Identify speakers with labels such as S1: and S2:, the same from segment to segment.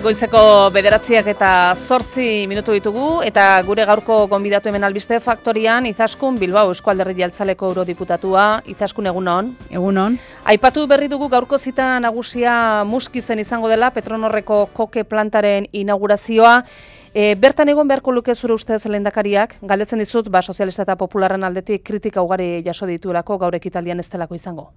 S1: Goizeko 9:08 ditugu eta gure gaurko gonbidatu hemen Albiste Faktorian Izaskun Bilbao Eusko Alderdi Jeltzaleko eurodiputatua. Izaskun, egunon.
S2: Egunon.
S1: Aipatu berri dugu gaurko zita nagusia Muskizen izango dela Petronorreko koke plantaren inaugurazioa. Bertan egon beharko luke zure ustez lehendakariak, galdetzen dizut, sozialista eta popularren aldetik kritika ugari jaso dituelako gaur ekitaldian ez delako izango.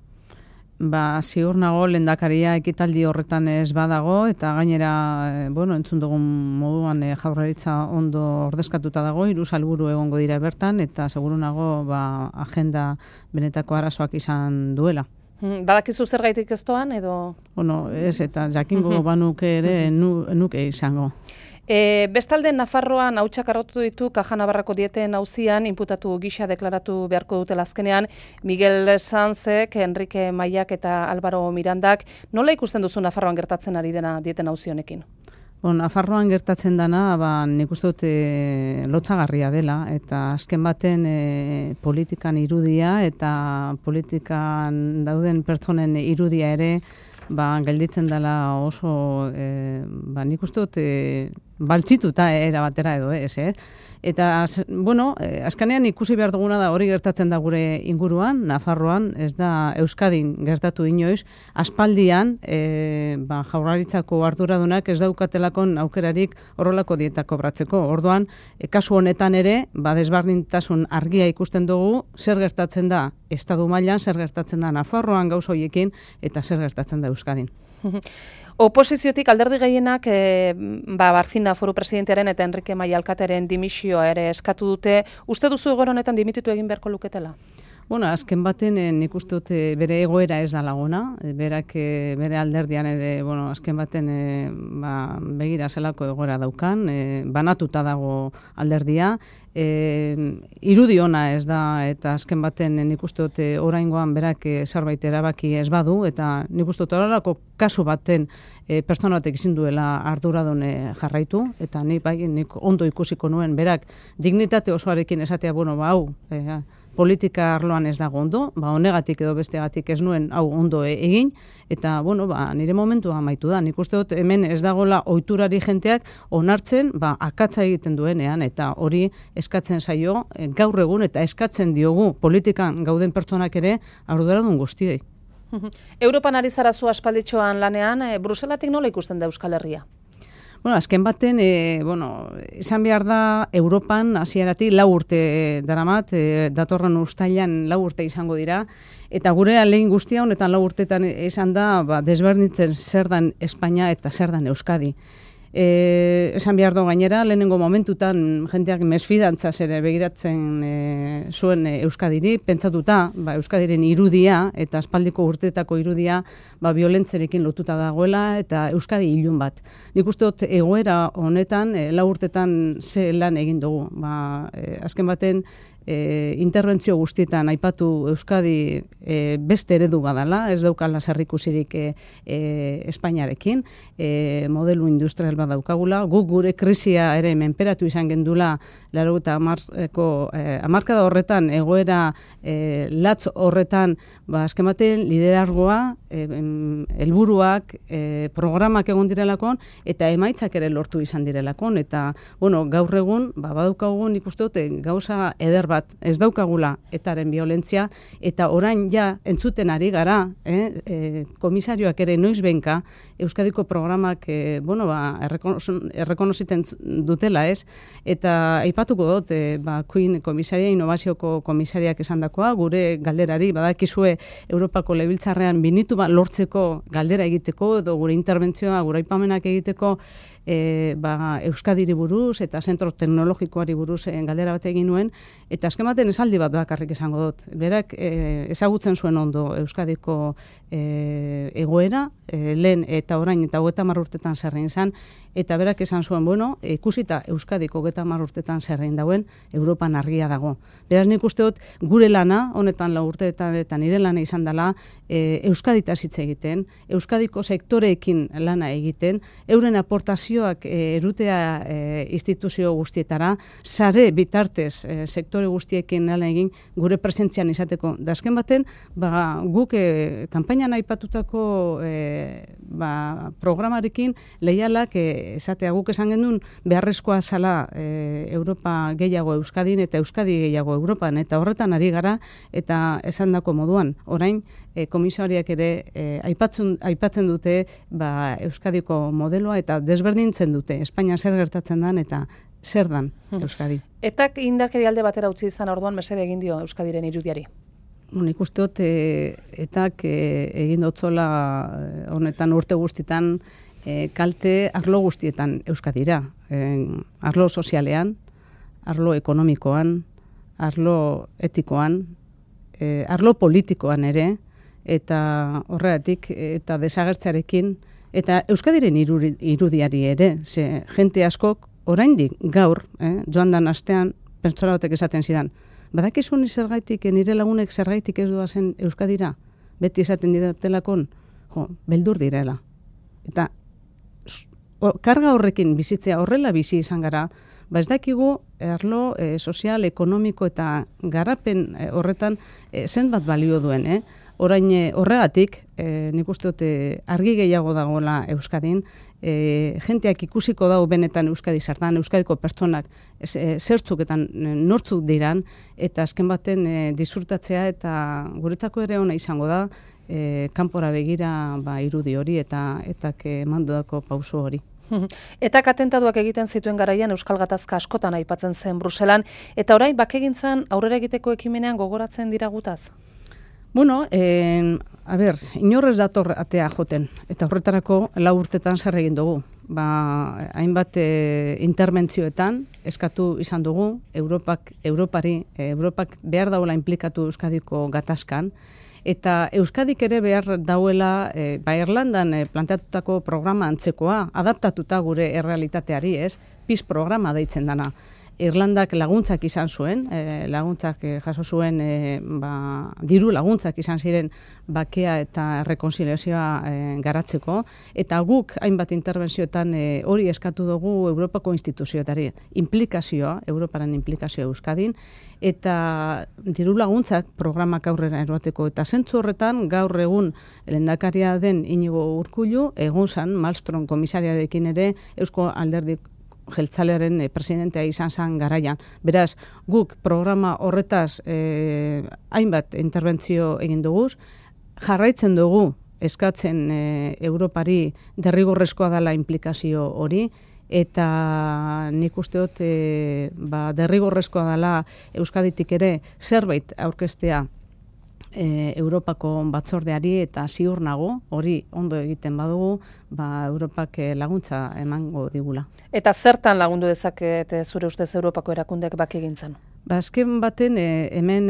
S2: Ziur nago lehendakaria ekitaldi horretan ez badago eta gainera, entzun dugun moduan Jaurlaritza ondo ordezkatuta dago, 3 helburu egongo dira bertan eta seguru nago agenda benetako arazoak izan duela.
S1: Badakizu zergaitik ez doan edo?
S2: Ez eta jakingo banuke ere nuke izango.
S1: Bestalde Nafarroan hautsak arrotu ditu Kaja Navarrako dieten auzian inputatu gisa deklaratu beharko dutela azkenean Miguel Sanzek, Enrique Maiak eta Álvaro Mirandak. Nola ikusten duzu Nafarroan gertatzen ari dena dieten auzi honekin?
S2: Nafarroan gertatzen dana, nik uste dut lotsagarria dela eta azken baten politikan irudia eta politikan dauden pertsonen irudia ere gelditzen dela oso, nik uste dut baltzituta era batera edo ez, Eta, azkenean ikusi behar duguna da hori gertatzen da gure inguruan, Nafarroan, ez da Euskadin gertatu inoiz, aspaldian Jaurlaritzako arduradunak ez daukatelakon aukerarik horrelako dietak kobratzeko. Orduan, kasu honetan ere, desberdintasun argia ikusten dugu, zer gertatzen da Estatu mailan, zer gertatzen da Nafarroan gauza horiekin, eta zer gertatzen da Euskadin.
S1: Oposiziotik alderdi gehienak Barcina foru presidentearen eta Enrique Maia alkatearen dimisioa ere eskatu dute. Uste duzu egoera honetan dimititu egin beharko luketela?
S2: Azken baten nik uste dut bere egoera ez da lagona, bere alderdian ere, azken baten begira zelako egoera daukan, banatuta dago alderdia, irudi ona ez da, eta azken baten nik uste dut oraingoan berak zerbait erabaki ez badu, eta nik uste dut horrelako kasu baten pertsona batek ezin duela arduradun jarraitu, eta nik ondo ikusiko nuen berak dignitate osoarekin esatea, politika arloan ez dago ondo, honegatik edo bestegatik ez nuen hau ondo egin, eta nire momentua amaitu da. Nik uste dut hemen ez dagoela ohiturari jenteak onartzen akatsa egiten duenean, eta hori eskatzen zaio gaur egun eta eskatzen diogu politikan gauden pertsonak ere arduradun guztiei.
S1: Europan ari zara zu aspalditxoan lanean, Bruselatik nola ikusten da Euskal Herria?
S2: Azken baten, esan behar da, Europan hasieratik 4 urte daramat, datorren uztailan 4 urte izango dira, eta gure ahalegin guztia honetan 4 urtetan esan da, desberdintzen zer dan Espainia eta zer dan Euskadi. Esan behar do gainera, lehenengo momentutan jendeak mesfidantzaz ere begiratzen zuen Euskadiri, pentsatuta Euskadiren irudia eta aspaldiko urteetako irudia violentzerekin lotuta dagoela eta Euskadi ilun bat. Nik uste dut egoera honetan 4 urtetan ze lan egin dugu. Azken baten interbentzio guztietan aipatu Euskadi beste eredu badala, ez daukala zerrikusirik Espainiarekin, modelu industrial bat daukagula, guk gure krisia ere menperatu izan gendula 80ko hamarkada horretan, egoera latz horretan, azken baten liderargoa, helburuak, programak egon direlakon, eta emaitzak ere lortu izan direlakon, eta gaur egun, badaukagun ikuste dute gauza eder bat ez daukagula etaren violentzia, eta orain ja entzuten ari gara, komisarioak ere noizbenka Euskadiko programak errekonoziten dutela, eta aipatuko dut, Queen komisaria, inovazioko komisariak esandakoa, gure galderari, badakizue Europako Legebiltzarrean binitu lortzeko galdera egiteko, edo gure interbentzioa, gure aipamenak egiteko, Euskadiri buruz eta zentro teknologikoari buruz galdera bat egin nuen, eta azken baten esaldi bat bakarrik esango dut. Berak ezagutzen zuen ondo Euskadiko egoera, lehen eta orain eta 30 urtetan zerrein zan, eta berak esan zuen, ikusita Euskadiko 30 urtetan zerrein dauen, Europan argia dago. Beraz nik uste dut gure lana, honetan 4 urteetan eta nire lana izan dela, Euskaditaz hitz egiten, Euskadiko sektoreekin lana egiten, euren aportazioak erutea instituzio guztietara, sare bitartez sektore guztiekin lan egin gure presentzian izateko. Da azken baten, guk kanpainan aipatutako programarekin leialak esatea guk esan genuen beharrezkoa zala Europa gehiago Euskadin eta Euskadi gehiago Europan, eta horretan ari gara, eta esandako moduan, orain komisariak ere aipatzen dute Euskadiko modeloa eta desberdintzen dute Espainia zer gertatzen dan eta zer dan Euskadi.
S1: Etak indakeri alde batera utzi izan orduan mesede egin dio Euskadiren irudiari?
S2: Nik uste dut etak egin dotzola honetan urte guztietan kalte arlo guztietan Euskadira. Arlo sozialean, arlo ekonomikoan, arlo etikoan, arlo politikoan ere, eta horregatik eta desagertzearekin, eta Euskadiren irudiari ere, ze jente askok oraindik gaur, joan dan astean, pertsona batek esaten zidan, badakizu ni zergaitik, nire lagunek zergaitik ez doazen Euskadira, beti esaten didatelakon, beldur direla. Eta karga horrekin bizitzea horrela bizi izan gara, ez dakigu arlo sozial, ekonomiko eta garapen horretan zenbat balio duen, Orain horregatik, nik uste dut argi gehiago dagoela Euskadin, jenteak ikusiko dago benetan Euskadi zertan, Euskadiko pertsonak zertzuk eta nortzuk diran, eta azken baten disfrutatzea eta guretzako ere ona izango da, kanpora begira irudi hori eta emandudako pauso hori.
S1: Etak atentaduak egiten zituen garaian Euskal Gatazka askotan aipatzen zen Bruselan, eta orain bakegintzan aurrera egiteko ekimenean gogoratzen dira gutaz?
S2: Bueno, inorrez dator atea joten, eta horretarako 4 urtetan zer egin dugu. Hainbat interbentzioetan eskatu izan dugu, Europak behar dauela implikatu Euskadiko gatazkan, eta Euskadik ere behar dauela Irlandan planteatutako programa antzekoa, adaptatuta gure errealitateari, PIS programa deitzen dana. Irlandak laguntzak izan zuen, jaso zuen, diru laguntzak izan ziren bakea eta rekonziliazioa garatzeko, eta guk hainbat interbentzioetan hori eskatu dugu Europako instituzioetari, Europaren implikazioa Euskadin, eta diru laguntzak programak aurrera eroateko, eta zentzu horretan gaur egun lehendakaria den Inigo Urkullu, egun zan, Malmström komisariarekin ere, Eusko Alderdi Jeltzalearen presidentea izan zen garaian. Beraz, guk programa horretaz hainbat interbentzio egin dugu, jarraitzen dugu eskatzen Europari derrigorrezkoa dela implikazio hori, eta nik uste dut derrigorrezkoa dela Euskaditik ere zerbait aurkeztea Europako batzordeari, eta ziur nago, hori ondo egiten badugu, Europak laguntza emango digula.
S1: Eta zertan lagundu dezakete zure ustez Europako erakundeak bakegintzan?
S2: Azken baten hemen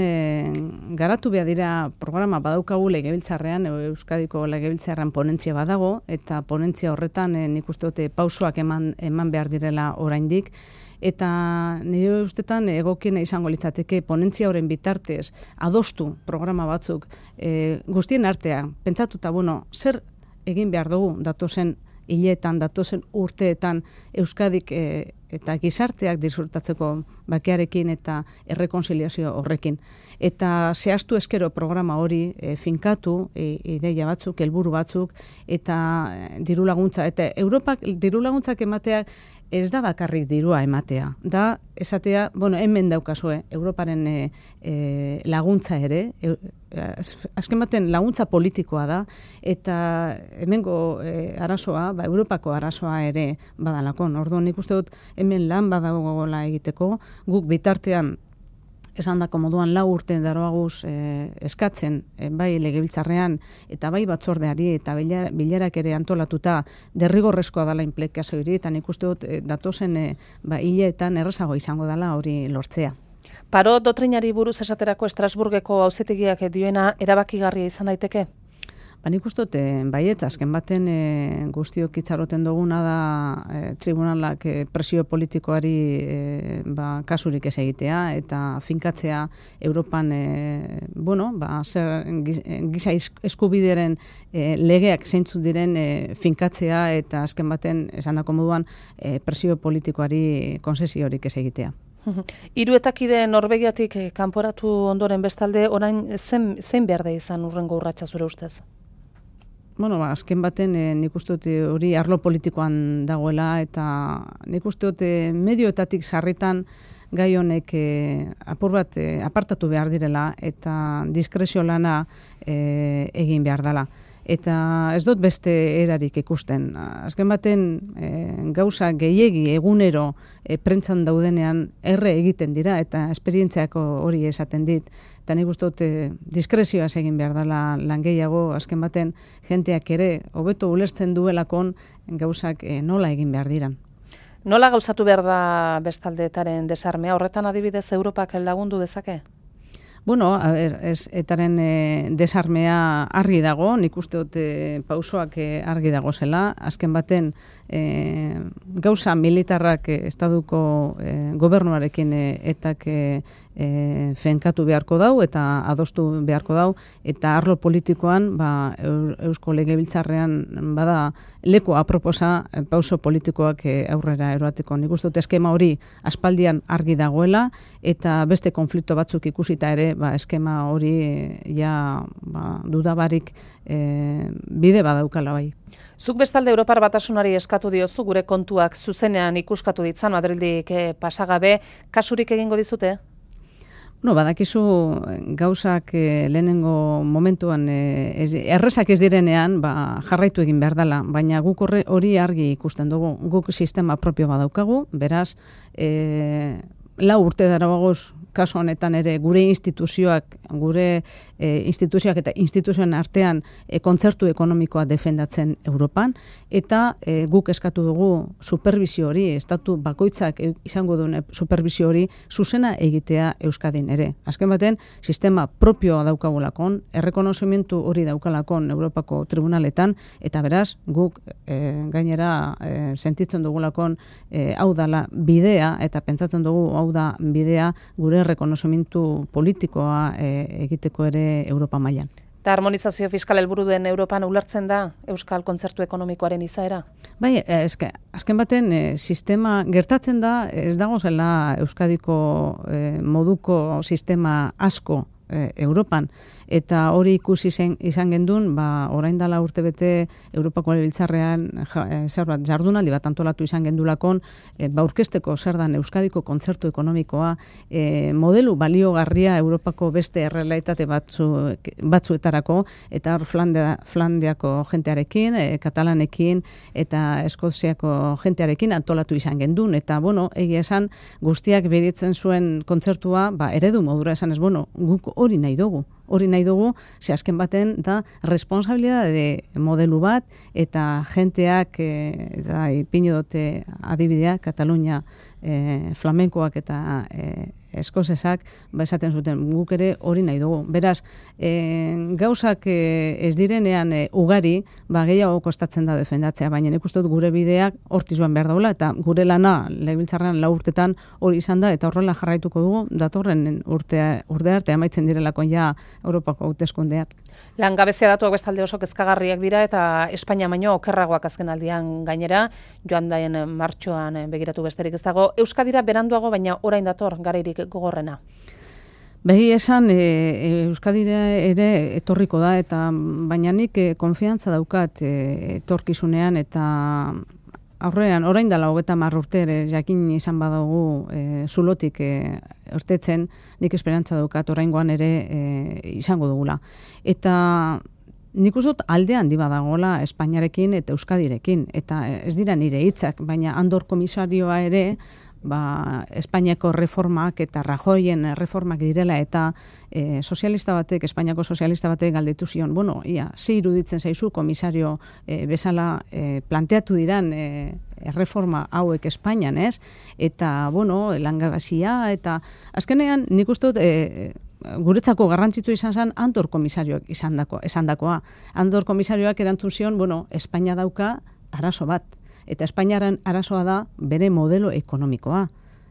S2: garatu behar dira programa badaukagu legebiltzarrean, Euskadiko legebiltzarrean ponentzia badago, eta ponentzia horretan nik uste dute pausoak eman behar direla oraindik, eta nire ustetan egokiena izango litzateke ponentzia horren bitartez adostu programa batzuk guztien artean, pentsatuta, zer egin behar dugu datozen hileetan, datozen urteetan Euskadik eta gizarteak disfrutatzeko bakearekin eta errekonziliazio horrekin. Eta zehaztu eskero programa hori finkatu, ideia batzuk, helburu batzuk, eta diru laguntza. Eta Europak diru laguntzak ematea ez da bakarrik dirua ematea. Da, esatea, hemen daukazue, Europaren laguntza ere, azken baten laguntza politikoa da, eta hemengo arazoa, Europako arazoa ere badalakon. Orduan nik uste dut hemen lan badagoela egiteko, guk bitartean esandako moduan 4 urte daroaguz eskatzen bai legebiltzarrean eta bai batzordeari eta bilerak ere antolatuta derrigorrezkoa dela implikazio hori, eta nik uste dut datozen hileetan errazago izango dela hori lortzea.
S1: Parot doktrinari buruz esaterako Estrasburgeko auzitegiak dioena erabakigarria izan daiteke?
S2: Nik uste dut, baiet, azken baten guztiok itxaroten duguna da tribunalak presio politikoari kasurik ez egitea eta finkatzea Europan giza eskubideren legeak zeintzuk diren finkatzea eta azken baten esandako moduan presio politikoari konzesiorik ez egitea.
S1: Hiruetakide Norvegiatik kanporatu ondoren bestalde, orain zein behar da izan urrengo urratsa zure ustez?
S2: Bueno, azken baten nik uste dut hori arlo politikoan dagoela, eta nik uste dut medioetatik sarritan gai honek apur bat apartatu behar direla eta diskrezio lana egin behar dela. Eta ez dut beste erarik ikusten. Azken baten gauza gehiegi egunero prentzan daudenean erre egiten dira eta esperientziako hori esaten dit. Eta nik uste dut diskrezioaz egin behar dela lan gehiago, azken baten jenteak ere hobeto ulertzen duelakon gauzak nola egin behar diran.
S1: Nola gauzatu behar da bestaldeetaren desarmea? Horretan adibidez Europak lagundu dezake?
S2: Bueno, etaren desarmea argi dago, nik uste dut pausoak argi dago zela. Azken baten gauza militarrak estaduko gobernuarekin etak fenkatu beharko dau eta adostu beharko dau, eta arlo politikoan Eusko Legebiltzarrean bada leku aproposa pauso politikoak aurrera eroateko. Nik uste dut eskema hori aspaldian argi dagoela, eta beste konflikto batzuk ikusita ere eskema hori dudabarik bide badaukala bai.
S1: Zuk bestalde Europar Batasunari eskatu diozu gure kontuak zuzenean ikuskatu ditzan Madrildik pasagabe, kasurik egingo dizute?
S2: Badakizu gauzak lehenengo momentuan errezak ez direnean jarraitu egin behar dela, baina guk hori argi ikusten dugu. Guk sistema propio badaukagu, beraz, 4 urte darabagoz, kasu honetan ere gure instituzioak eta instituzioen artean kontzertu ekonomikoa defendatzen Europan, eta guk eskatu dugu supervisio hori, estatu bakoitzak izango duen supervisio hori zuzena egitea Euskadin ere. Azken baten, sistema propioa daukagulakon, errekonozimentu hori daukalakon Europako tribunaletan, eta beraz, guk gainera sentitzen dugulakon hau dala bidea, eta pentsatzen dugu hau da bidea gure rekonozimentu politikoa egiteko ere Europa mailan.
S1: Eta harmonizazio fiskal helburu duen Europan ulertzen da Euskal kontzertu ekonomikoaren izaera?
S2: Bai, azken baten sistema gertatzen da, ez dago zela Euskadiko moduko sistema asko Europan, eta hori ikusi izan gendun, orain dela urtebete Europako Legebiltzarrean jardunaldi bat antolatu izan gendulakon, aurkezteko zer dan Euskadiko kontzertu ekonomikoa, modelu baliogarria Europako beste errealitate batzuetarako, eta hor Flandiako jentearekin, Katalanekin eta Eskoziako jentearekin antolatu izan gendun, eta egia esan guztiak beritzen zuen kontzertua eredu modura esan ez, guk hori nahi dugu, ze azken baten da responsabilidade modelu bat, eta jenteak, eta ipino dute adibidea, Katalunia flamenkoak eta eskozesak, esaten zuten, guk ere hori nahi dugu. Beraz, gauzak ez direnean ugari, gehiago kostatzen da defendatzea, baina nik uste dut gure bideak hortiz joan behar daula, eta gure lana Legebiltzarrean 4 urtetan hori izan da, eta horrela jarraituko dugu, datorren urte arte amaitzen direlakon ja Europako hauteskundeak.
S1: Langabezia datuak bestalde oso kezkagarriak dira, eta Espainia baino okerragoak azken aldian gainera, joan daien martxoan begiratu besterik ez dago. Euskadira beranduago, baina orain dator garairik gogorrena.
S2: Behi esan, Euskadira ere etorriko da, eta baina nik konfiantza daukat etorkizunean, eta aurrean, orain dela 30 urte ere jakin izan badago zulotik irtetzen, nik esperantza daukat oraingoan ere izango dugula. Eta nik uste dut alde handi badagola Espainiarekin eta Euskadirekin, eta ez dira nire hitzak, baina Andor komisarioa ere, Espainiako reformak eta Rajoyen reformak direla, eta Espainiako sozialista batek galdetu zion, ze iruditzen zaizu komisario bezala planteatu diran reforma hauek Espainian, ez? Eta, langabezia, eta azkenean nik uste dut guretzako garrantzitu izan zen Andor komisarioak esandakoa. Andor komisarioak erantzun zion, Espainia dauka arazo bat. Eta Espainiaren arazoa da bere modelo ekonomikoa.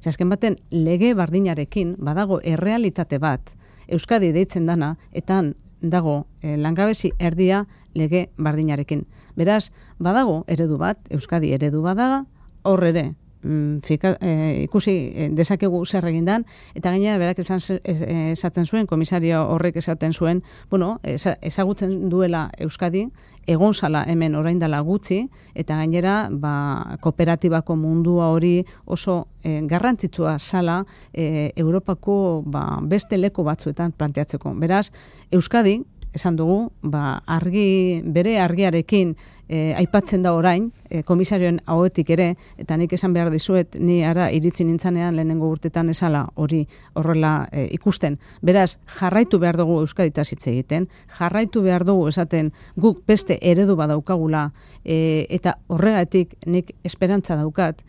S2: Azken baten, lege bardinarekin badago errealitate bat, Euskadi deitzen dana, eta dago langabezi erdia lege bardinarekin. Beraz, badago eredu bat, Euskadi eredu badaga, hor ere ikusi dezakegu zer egindan, eta gainera berak esaten zuen, komisario horrek esaten zuen, ezagutzen duela Euskadi, egon zala hemen orain dela gutxi, eta gainera kooperatibako mundua hori oso garrantzitsua zala Europako beste leku batzuetan planteatzeko. Beraz, Euskadi, esan dugu, bere argiarekin aipatzen da orain, komisarioen ahoetik ere, eta nik esan behar dizuet, ni ara iritzi nintzanean lehenengo urtetan esala hori horrela ikusten. Beraz, jarraitu behar dugu Euskaditaz hitz egiten, jarraitu behar dugu esaten guk beste eredu badaukagula, eta horregatik nik esperantza daukat,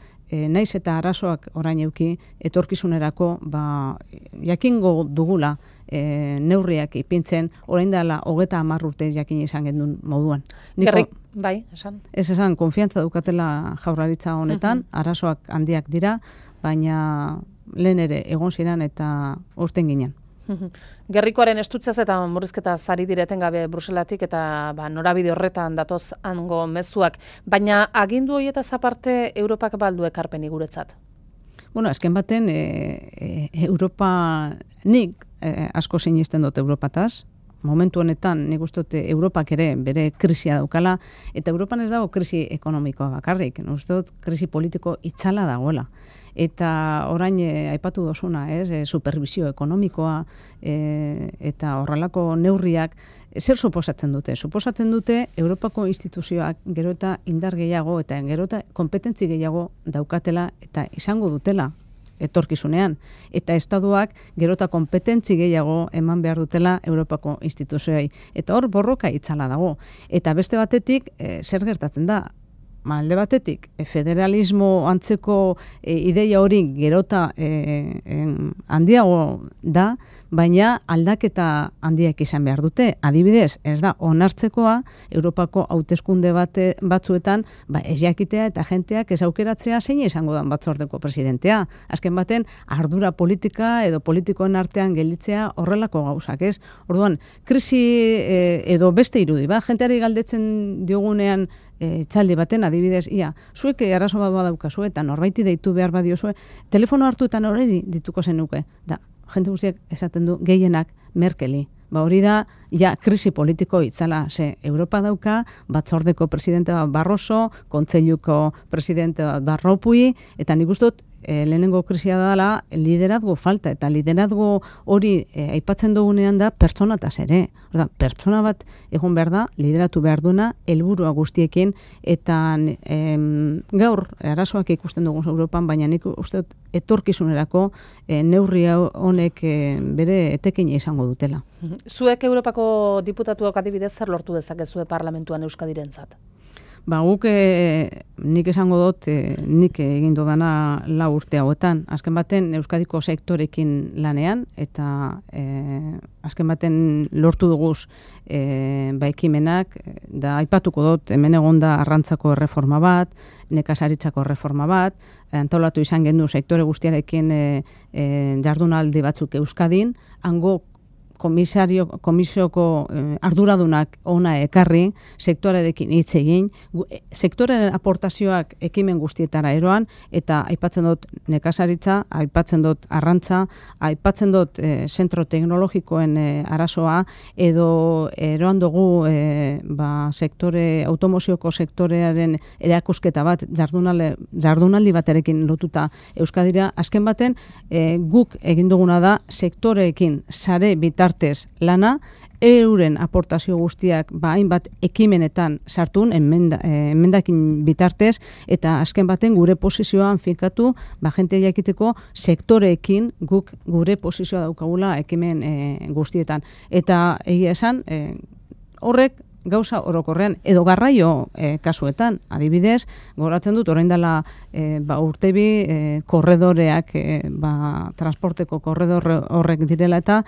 S2: naiz eta arazoak orain euki, etorkizunerako jakingo dugula neurriak ipintzen, orain dela 30 urte jakin izan gendun moduan.
S1: Bai, esan.
S2: Ez esan, konfiantza daukatela Jaurlaritza honetan, arazoak handiak dira, baina lehen ere egon ziren eta urten ginen.
S1: Gerrikoaren estutzaz eta murrizketa zari direten gabe Bruselatik eta norabide horretan datoz hango mezuak, baina agindu horietaz aparte Europak baldu ekarpeni guretzat?
S2: Azken baten nik asko sinisten dut Europataz, momentu honetan nik uste dut Europak ere bere krisia daukala, eta Europan ez dago krisi ekonomikoa bakarrik, uste dut krisi politiko itzala dagoela. Eta orain aipatu dozuna, supervisio ekonomikoa eta horrelako neurriak zer suposatzen dute? Suposatzen dute Europako instituzioak gero eta indar gehiago eta gero eta kompetentzi gehiago daukatela eta izango dutela etorkizunean. Eta estatuak gero eta kompetentzi gehiago eman behar dutela Europako instituzioei. Eta hor borroka itzala dago. Eta beste batetik zer gertatzen da? Alde batetik, federalismo antzeko ideia hori gerota handiago da, baina aldaketa handiak izan behar dute. Adibidez, ez da onartzekoa Europako hauteskunde batzuetan ez jakitea eta jenteak ez aukeratzea zein izango da batzordeko presidentea. Azken baten, ardura politika edo politikoen artean gelditzea horrelako gauzak, ez? Orduan, krisi edo beste irudi, jenteari galdetzen diogunean txaldi baten, adibidez, zuek arazo bat badaukazu eta norbaiti deitu behar badiozue, telefono hartuetan hori dituko zenuke. Da, jente guztiak esaten du gehienak Merkeli. Hori da, krisi politiko itzala, Europa dauka, batzordeko presidente bat Barroso, kontseiluko presidente bat Barropui, eta nik uste dut, lehenengo krisia dela liderazgo falta, eta liderazgo hori aipatzen dugunean da pertsonataz ere. Pertsona bat egon behar da, lideratu behar duna, helburua guztiekin, eta gaur arazoak ikusten dugu Europan, baina nik uste dut etorkizunerako neurri honek bere etekina izango dutela.
S1: Zuek Europako diputatuak adibidez zer lortu dezakezue parlamentuan Euskadirentzat?
S2: Guk nik esango dut, nik egin dudana 4 urte hauetan. Azken baten Euskadiko sektorekin lanean, eta azken baten lortu duguz ekimenak, da aipatuko dut, hemen egon da arrantzako erreforma bat, nekazaritzako erreforma bat, antolatu izan gendu sektore guztiarekin jardunaldi batzuk Euskadin, hango komisioko arduradunak ona ekarri, sektorearekin hitz egin, sektorearen aportazioak ekimen guztietara eroan, eta aipatzen dut nekazaritza, aipatzen dut arrantza, aipatzen dut zentro teknologikoen arazoa, edo eroan dugu automozioko sektorearen erakusketa bat, jardunaldi baterekin lotuta Euskadira. Azken baten, guk egin duguna da sektoreekin sare bitartez lana, euren aportazio guztiak hainbat ekimenetan sartun, emendakin bitartez, eta azken baten gure posizioan finkatu, jente jakiteko sektoreekin guk gure posizioa daukagula ekimen guztietan. Eta egia esan, horrek gauza orokorrean, edo garraio kasuetan, adibidez, goratzen dut, orain dela urtebi korredoreak, transporteko korredor horrek direla eta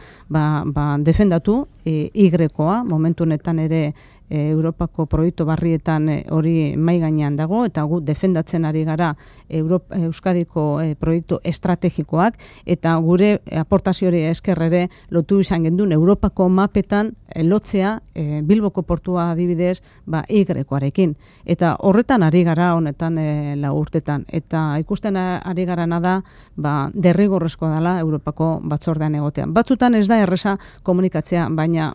S2: defendatu Y-koa, momentu honetan ere Europako proiektu barrietan hori mai gainean dago, eta gu defendatzen ari gara Euskadiko proiektu estrategikoak, eta gure aportaziori esker ere lotu izan gendun Europako mapetan lotzea Bilboko portua adibidez Y-arekin. Eta horretan ari gara honetan 4 urtetan. Eta ikusten ari garana da derrigorrezkoa dela Europako batzordean egotean. Batzutan ez da erresa komunikatzea, baina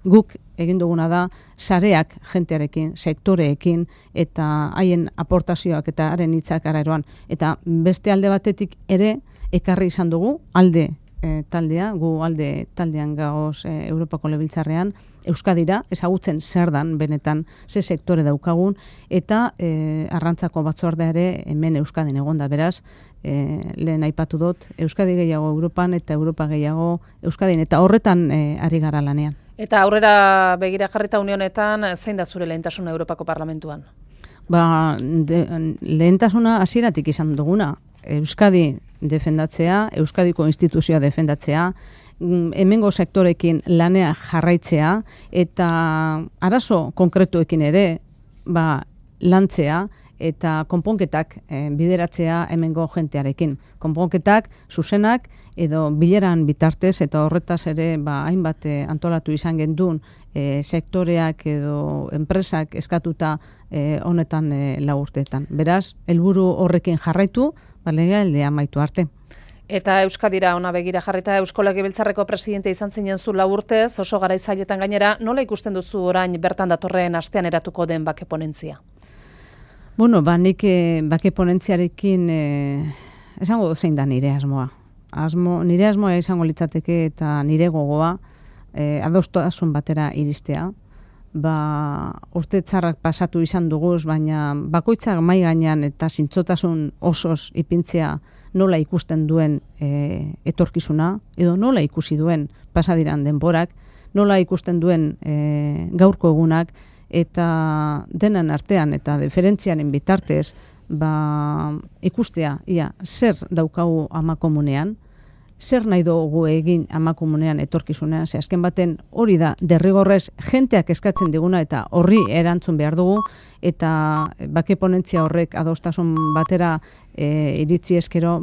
S2: guk egin duguna da sareak jentearekin, sektoreekin eta haien aportazioak eta haren hitzak araeroan. Eta beste alde batetik ere ekarri izan dugu alde taldea, gu alde taldean gagoz Europako Legebiltzarrean, Euskadira, ezagutzen zer dan benetan ze sektore daukagun, eta arrantzako batzordea ere hemen Euskadin egonda, beraz, lehen aipatu dut, Euskadi gehiago Europan eta Europa gehiago Euskadin, eta horretan ari gara lanean.
S1: Eta aurrera begira jarrita unionetan, zein da zure lehentasuna Europako Parlamentuan?
S2: Lehentasuna hasieratik izan duguna, Euskadi defendatzea, Euskadiko instituzioa defendatzea, hemengo sektorekin lanea jarraitzea, eta arazo konkretuekin ere lantzea, eta konponketak bideratzea hemengo jentearekin. Konponketak zuzenak edo bileran bitartez, eta horretaz ere hainbat antolatu izan gendun sektoreak edo enpresak eskatuta honetan 4 urteetan. Beraz, helburu horrekin jarraitu, legealdia amaitu arte.
S1: Eta Euskadira ona begira jarrita Eusko Legebiltzarreko presidente izan zinen zu 4 urtez, oso garaizailetan gainera, nola ikusten duzu orain bertan datorren astean eratuko den bake ponentzia?
S2: Nik bake ponentziarekin esango zein da nire asmoa. Nire asmoa izango litzateke eta nire gogoa adostasun batera iristea. Urte txarrak pasatu izan duguz, baina bakoitzak mai gainean eta zintzotasun osoz ipintzea nola ikusten duen etorkizuna, edo nola ikusi duen pasadiran denborak, nola ikusten duen gaurko egunak, eta denan artean eta diferentziaren bitartez ikustea zer daukagu amakomunean, zer nahi dugu egin amakomunean etorkizunean, ze azken baten hori da derrigorrez jenteak eskatzen diguna eta horri erantzun behar dugu, eta bake ponentzia horrek adostasun batera iritzi eskero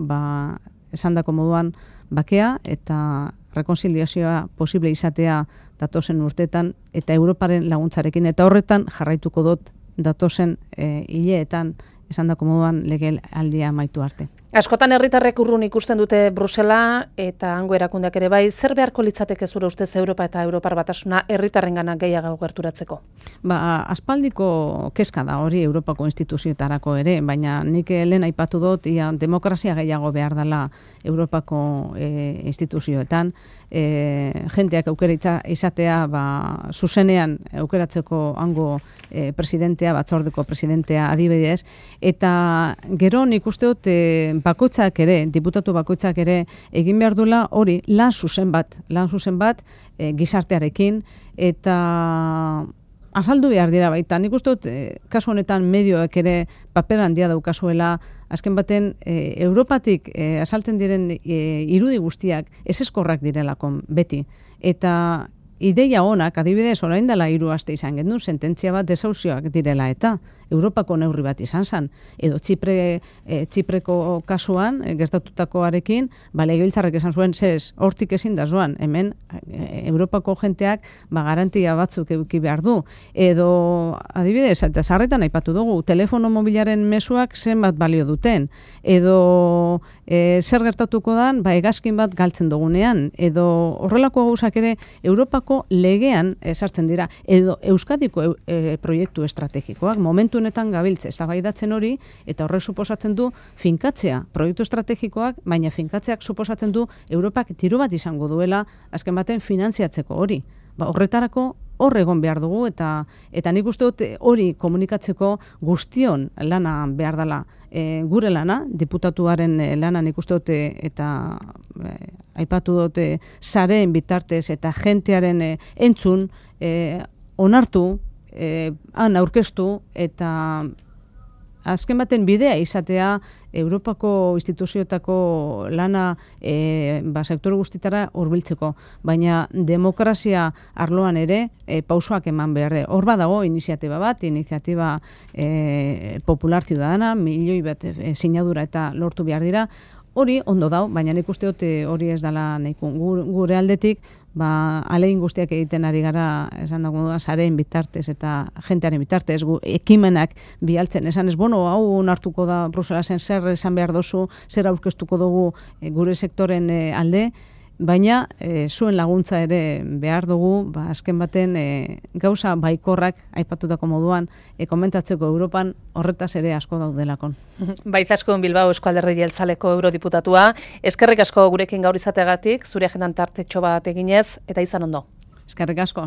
S2: esandako moduan bakea eta rekonziliazioa posible izatea datozen urteetan eta Europaren laguntzarekin, eta horretan jarraituko dut datozen hileetan esandako moduan legealdia amaitu arte.
S1: Askotan herritarrek urrun ikusten dute Brusela eta hango erakundeak ere bai, zer beharko litzateke zure ustez Europa eta Europar Batasuna herritarrengana gehiago gerturatzeko?
S2: Aspaldiko kezka da hori Europako instituzioetarako ere, baina nik lehen aipatu dut demokrazia gehiago behar dela Europako instituzioetan, jenteak aukera izatea zuzenean aukeratzeko hango presidentea, batzordeko presidentea adibidez, eta gero nik uste dut bakoitzak ere, diputatu bakoitzak ere egin behar duela hori lan zuzen bat gizartearekin, eta azaldu behar dira baita. Nik uste dut kasu honetan medioek ere paper handia daukazuela, azken baten Europatik azaltzen diren irudi guztiak ezezkorrak direlako beti. Eta ideia honak, adibidez, orain dela 3 aste izan gendu, sententzia bat desauzioak direla eta Europako neurri bat izan zen. Edo Txipreko kasuan, gertatutakoarekin, legebiltzarrek esan zuen, hortik ezin da zoan, hemen Europako jenteak garantia batzuk eduki behar du. Edo, adibidez, eta sarretan aipatu dugu, telefono mobilaren mezuak zenbat balio duten. Edo, zer gertatuko dan, hegazkin bat galtzen dugunean. Edo, horrelako gauzak ere, Europako legean sartzen dira. Edo, Euskadiko proiektu estrategikoak, momentu honetan gabiltze eztabaidatzen hori, eta horrek suposatzen du finkatzea proiektu estrategikoak, baina finkatzeak suposatzen du Europak diru bat izango duela azken baten finantziatzeko hori. Horretarako hor egon behar dugu, eta nik uste dut hori komunikatzeko guztion lana behar dela. Gure lana, diputatuaren lana nik uste dut, eta aipatu dut sareen bitartez eta jentearen entzun, onartu, han aurkeztu eta azken baten bidea izatea Europako instituzioetako lana sektore guztitara hurbiltzeko, baina demokrazia arloan ere pausoak eman behar de. Hor badago iniziatiba bat, iniziatiba popular ciudadana, milioi bat sinadura eta lortu behar dira. Hori ondo dau, baina nik uste dut hori ez dela nahiko. Gure aldetik, alegin guztiak egiten ari gara, esan dago, sareen bitartez eta jentearen bitartez, ekimenak bialtzen. Esan ez, hau nartuko da Bruselasen zer esan behar dozu, zer aurkeztuko dugu gure sektoren alde, baina zuen laguntza ere behar dugu, azken baten gauza baikorrak aipatutako moduan komentatzeko Europan horretaz ere asko daudelakon.
S1: Baizaskun Bilbao Eusko Alderdi Jeltzaleko eurodiputatua, eskerrik asko gurekin gaur izateagatik, zure agendan tartetxo bat eginez, eta izan ondo.
S2: Eskerrik asko.